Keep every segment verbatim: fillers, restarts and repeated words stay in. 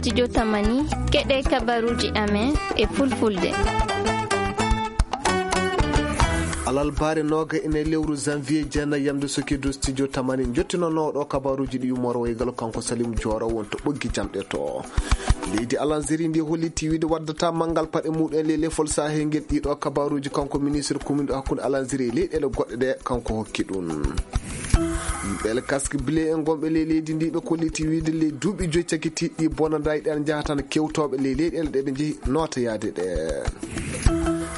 Studio Tamani, keɗe kabaruji amen e fulfulde. Alalbaare nooga ene lewru janvier, jeenayi yamde sokido studio Tamani, jottinooɗo kabaruji ɗi ummoro waygal kanko Salim Jooro won to ɓoggi jamɗe to. Leydi Alanzeri ndi holliti wiide waddata manngal paɗe muɗum e ley lefol Sahel ngel. Ɗiɗo kabaruji kanko ministre kuminɗo hakkunde Alanzeri e leyɗeele goɗɗe ɗe kanko hokki ɗum. Yimɓe El Casque Bleu en gonɓe ley leydi ndi ɓe kolliti wiide ley duuɓi joyi cakitiiɗi bonandaaji ɗi ana njaha tan kewtooɓe ley leyɗeele ɗe ɓe njehi nootoyaade ɗe.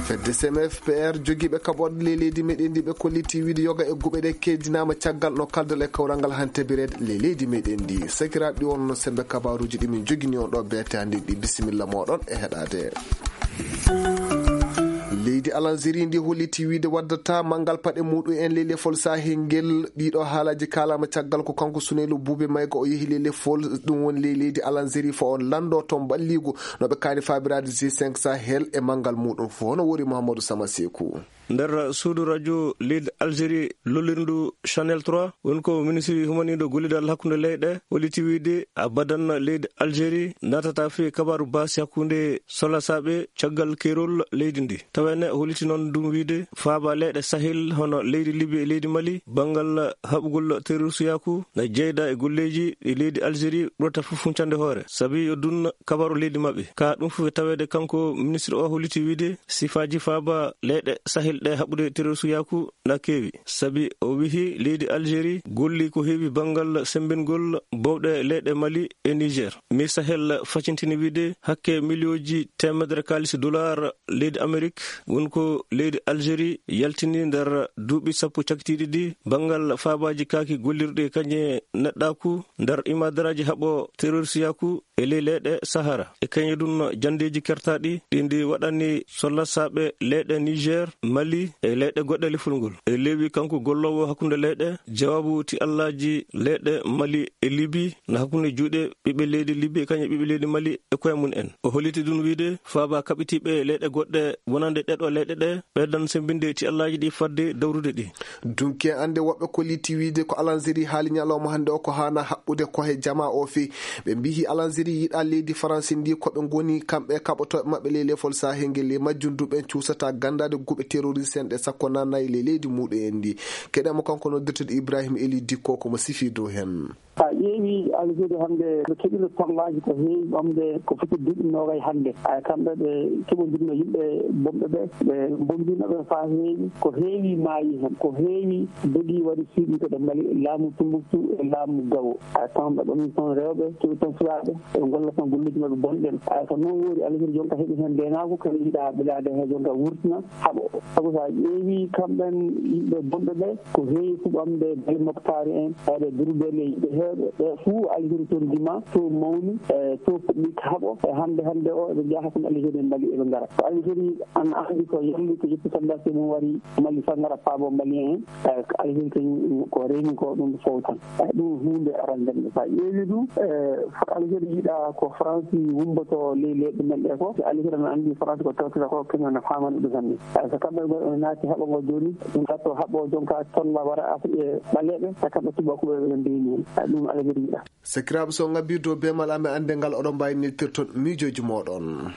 Fedde C M F P R jogiiɓe kaɓorɗe ley leydi meɗen ndi ɓe kolliti wiide yoga e guɓe ɗe keddinaama caggal no kaldal e kawral ngal hannde tabireede ley leydi meɗen ndi. Sakiraaɓe ɗi wonno sembe kabaruji ɗi min jogini on ɗo beete hannde ɗi. Bisimilla moɗon e heɗaade. Leydi Alanzeri ndi holliti wiide waddata manngal paɗe muɗum en ley lefol Sahel ngel. Ɗiɗo haalaji kaalama caggal ko kanko Suneylu Buube Mayga o yehi ley lefol ɗum woni ley leydi Alanzeri fo on lanndo toon balligu no ɓe kaani faabiraade G cinq Sahel e manngal muɗum fof no wori Mouhamadou Sama Seku. Nder suudu radio leydi Algérie lollirndu Channel trois, woni ko ministre humaniiɗo gollidal hakkunde leyɗe holliti wiide abadan leydi Algérie naatata fii kabaaru baasi hakkunde solasaaɓe caggal keerol leydi ndi. Tawene holliti noon ɗum wiide faaba leyɗe Sahel hono leydi Libi e leydi Mali banngal haɓugol terrorisiyaaku na jeyda e golleeji ɗi leydi Algérie ɓurata fof huncande hoore. Sabi yo dun kabaaru leydi maɓɓe. Ka ɗum fof e taweede kanko ministre o holliti wiide sifaaji faaba leyɗe Sahel ɗe haɓude terrorisiyaaku na keewi. Sabi o wihi leydi Algérie golli ko heewi banngal semmbingol bowɗe leyɗe Mali e Niger. Mi Sahel facintini wiide hakke miliyooji teemedere kaalis dollar leydi Amerik woni ko leydi Algérie yaltini nder duuɓi sappo cakitiiɗi ɗi banngal faabaaji kaaki gollirɗi e kañe neɗɗaaku nder imadaraaji haɓo terrorisiyaaku e ley leyɗe Sahara. E kañe ɗum janndeeji kertaaɗi ɗi ndi waɗani sollasaaɓe leyɗe Niger, Mali e leyɗe goɗɗe lefol ngol. E leewi kanko golloowo hakkunde leyɗe, jawaabu ti allaaji leyɗe Mali e Libi na hakkunde juuɗe ɓiɓɓe leydi Libi e kañe ɓiɓɓe leydi Mali e koye mum en. O holliti ɗum wiide faaba kaɓitiiɓe leyɗe goɗɗe wonande ɗeɗo leyɗe ɗe ɓeydan semmbinde ti allaaji ɗi fadde dawrude ɗi. Dunki en annde woɓɓe kolliti wiide ko Alanzeri haali ñalawma hannde o ko haana haɓɓude ko he jamaa o fii. Ɓe mbihi Alanzeri yiɗa leydi Faransi ndi ko ɓe ngoni kamɓe kaɓotooɓe maɓɓe ley lefol Sahel ngel. Ley majjum du ɓen cuusata ganndaade guɓe terroriste en ɗe sakko naannayi ley leydi muɗum en ndi. Keɗen mo kanko noddirteɗo Ibrahim Eli Dikko ko mo sifi dow hen. Sa ƴeewi Algérie hannde ɓe keɓino tollaaji ko heewi ɓamde ko foti duuɓi noogay hannde. Ay kamɓe ɓe keɓondirno yimɓe bonɓe ɓe, ɓe mbombino ɓe faa heewi. Ko heewi maayi heen, ko heewi dogii waɗi suuɗi to ɗe Mali, laamu Tumbuktu e laamu Gawo. Ay kamɓe ɓe min toon rewɓe, keɓi toon sukaaɓe, ɓe ngolla toon golleeji maɓɓe bonɗen. Ay ko noon woori Algérie jonka heɓi heen ndeenaagu, kadi yiɗa ɓilaade he jonka wurtina haɓo. Sabu sa ƴeewi kamɓen yimɓe bonɓe ɓe, ko heewi fuɗɗamde Bali Moktaari en, eɓe Durbeeli e yimɓe heewɓe. Ɓe fuu Algérie toon dima, to mawni, e to puɗɗi haɓo. E hannde, hannde o, eɓe njaha toon Algérie e Mali eɓe ngara. Ko Algérie ana anndi ko yalli ko ƴetti soldaaji mum wari Mali fa ngara paabo Malien en. E ko Algérie kañum ko reeni ko ɗum fof tan. E ɗum huunde arande nde. Sa ƴeewi ɗum, e Algérie yiɗa ko France wumboto ley leyɗe men ɗe fof. Algérie ana anndi France ko tawtata ko kañum ana faamani ɗum hannde. Ay, so kamɓe ngo ene naati haɓo ngo jooni, ɗum gatto haɓo jonka tolla wara Afri-, e ɓaleeɓe, so kamɓe tubakuɓe ɓe mbiini. Ay, ɗum Algérie yiɗa. Sakiraaɓe, so ngabbii dow beemal amen annde ngal, oɗon mbaawi neltirton miijooji mooɗon.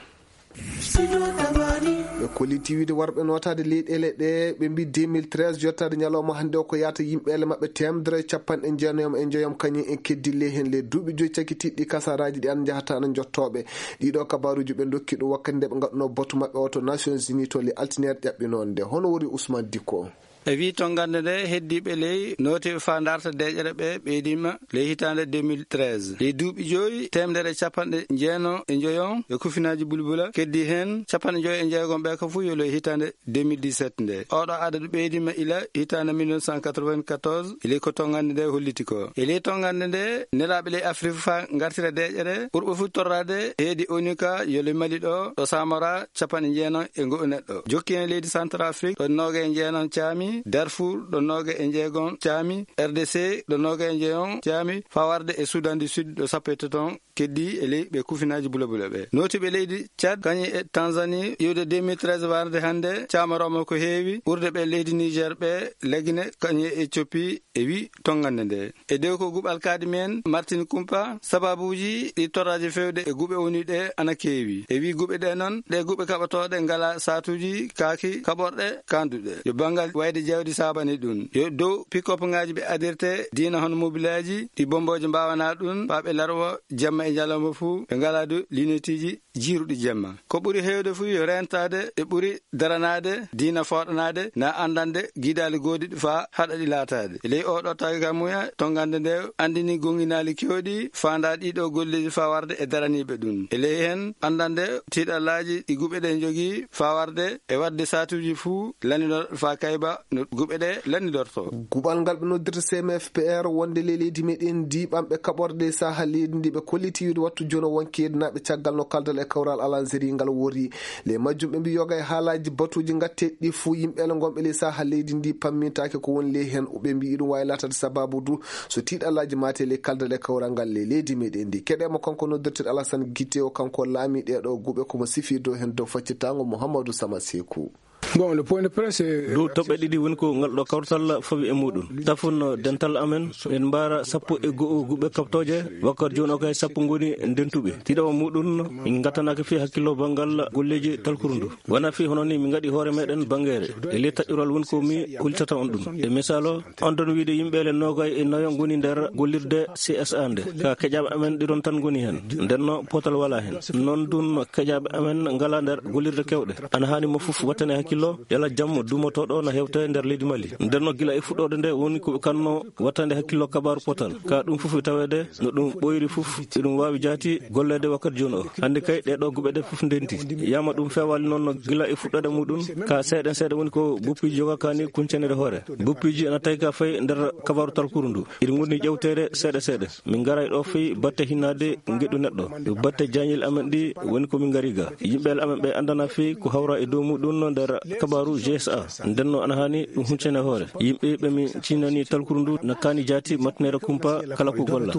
Ɓe kolliti wiide warɓe nootaade leyɗeele ɗe, ɓe mbi deux mille treize yottaade ñalawma hannde o ko yaata yimɓeele maɓɓe teemedere e capanɗe jeenayom e njoyom kañum en keddi ley heen ley duuɓi joyi cakitiiɗi kasaraaji ɗi an njahata ana njottooɓe. Ɗiɗo kabaruuji ɓe ndokki ɗum wakkati nde ɓe ngaɗunoo batu maɓɓe o to Nations Unies to le altineere ƴaɓɓinoonde. Hono wori Ousmane Dicko? E wii tonngande nde heddiiɓe ley nootiiɓe faa ndarta deeƴere ɓe ɓeydiima ley hitaande deux mille treize. Ley duuɓi joyi, teemedere e capanɗe jeenom e njoyon e kufinaaji bulbula, keddi heen capanɗe njoyo e jeegom ɓe ka fof yo ley hitaande deux mille dix-sept nde. Oɗo adadu ɓeydiima ila hitaande mille neuf cent quatre-vingt-quatorze, e ley ko tonngande nde holliti ko. E ley tonngande nde, nelaaɓe ley Afrik faa ngartira deeƴere, ɓurɓe fof torraade heedi ONU ka yo ley Mali ɗo, ɗo Samora capanɗe jeenom e ngo'o neɗɗo. Jokki heen leydi Centrafrique, ɗo nooga e jeenom caami, Darfour, ɗo nooga e jeegom caami, R D C, ɗo nooga e jeegom caami, faa warde e Soudan du Sud, ɗo sappo e tati on, keddi e ley ɓe kufinaaji bulabula ɓe. Nootiiɓe leydi Tchad, kañum e Tanzanie, iwde deux mille treize warde hannde, caamarooma ko heewi ɓurde ɓe leydi Niger ɓe, Legine, Kanye, Ethiopie, e wi tonngande nde. E dow ko guɓal kaadi men Martin Kumpa, sababuuji ɗi torraaji fewde e guɓe woni ɗe ana keewi. E wi guɓe ɗe noon, ɗe guɓe kaɓatooɗe ngala saatuuji kaaki kaɓorɗe kanduɗe. Yo banngal wayde jawdi saabani ɗum. Yo dow pick-up ŋaaji ɓe adirte diina hono mobilaaji ɗi bombooje mbaawana ɗum, faa ɓe larwa jamma e ñalawma fuu, ɓe ngala du linetiiji jiiruɗi jamma. Ko ɓuri heewde fuu yo reentaade e ɓuri daranaade diina fooɗanaade na anndande giidaali goodiɗi faa haɗa ɗi laataade. E ley oo ɗoo tawi ka muya, tonngande nde anndini goŋŋinaali keewɗi faandaa ɗiɗo golleeji faa warde e daraniiɓe ɗum. E ley heen anndande tiiɗallaaji ɗi guɓe ɗe njogii faa warde e waɗde saatuuji fuu lanndinor faa kayba no guɓe ɗe lanndidorto. Guɓal ngal ɓe noddirta C M F P R wonde ley leydi meɗen ndi ɓamɓe kaɓorɗe e saha leydi ndi ɓe kolliti wiide wattu jono wonki yeddinaaɓe caggal no kaldal e kawral Alanzeri ngal wori. Ley majjum ɓe mbi yoga e haalaaji batuuji ngatteeɗi ɗi fuu yimɓe ele ngonɓe ley saha leydi ndi pammintaake ko woni ley heen. Ɓe mbi iɗum waawi laataade sababu du so tiiɗallaaji maate ley kaldal e kawral ngal ley leydi meɗen ndi. Keɗeemo kanko noddirteeɗo Alassane Guité o, kanko laami ɗeeɗo guɓe ko mo sifi dow heen dow faccitaango Mouhamadou Sama Sekou. Bon, le point de presse, c'est dow toɓɓe ɗiɗi woni ko ngal ɗo kawtal fawi e muɗum. Tafun dental amen, en mbaara sappo e go'o guɓe kaɓtooje, wakkati jooni o kay sappo ngoni ndentuɓe. Ɗiɗaɓo muɗum, en ngattanaaki fii hakkillo banngal golleeji talkuru ndu. Wona fii hono ni min ngaɗi hoore meɗen banngeere. E ley taƴƴural woni ko mi hultata on ɗum. E misalo, on ɗon wiide yimɓe le noogay e nayo ngoni nder gollirde C S A nde. Ka keƴaaɓe amen ɗiɗon tan ngoni heen. Nden no potal wala heen. Non ɗum keƴaaɓe amen ngala nder gollirde kewɗe. Ana haani mo fof wattane hakkillo, yala jam duumotooɗo na hewte nder leydi Mali. Nden no gila e fuɗɗoode nde woni ko kanno wattande hakkillo kabaaru potal. Ka ɗum fof e taweede no ɗum ɓooyri fof, eɗum waawi jaati golleede wakkati jooni o. Hannde kay ɗee ɗoo guɓe ɗe fof ndenti. Yama ɗum feewaali noon no gila e fuɗɗoode muɗum, ka seeɗa seeɗa woni ko boppiiji joga kaani kuncanede hoore. Boppiiji ana tawi ka fayi nder kabaaru talkuru ndu. Eɗi ngoni ƴewteede seeɗa seeɗa. Min ngaray ɗo fii batte hinnaade ngeɗu neɗɗo. Batte jaañel amen ɗi woni ko min ngari ga. Yimɓe amen ɓe anndana fii ko hawra e dow muɗum no nder kabaaru G S A. Nden no ana haani ɗum huncane hoore. Yimɓe ɓe min cinnani talkuru ndu na kaani jaati matneere kumpa kala ko golla.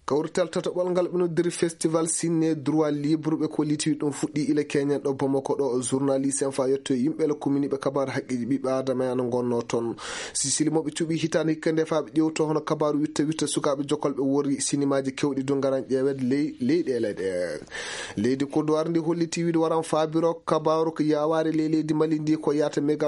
Kawrital tataɓol ngal ɓe noddiri Festival Ciné Droit Libre ɓe kolliti ɗum fuɗɗi ila Kenya ɗo Bamako ɗo. Journaliste en faa yetto e yimɓe la commune ɓe kabaar haqqeeji ɓiɓɓe Aadama en ana ngonnoo toon. Sisili mo ɓe cuɓi hitaande hikka nde faa ɓe ƴewto hono kabaaru witta witta sukaaɓe jokolɓe worri sinimaaji kewɗi du ngaran ƴeewed ley leyɗeele ɗe. Leydi Kodowar ndi holliti wiide waran faabiro kabaaru ko yawaare ley leydi Mali ndi ko yaata mega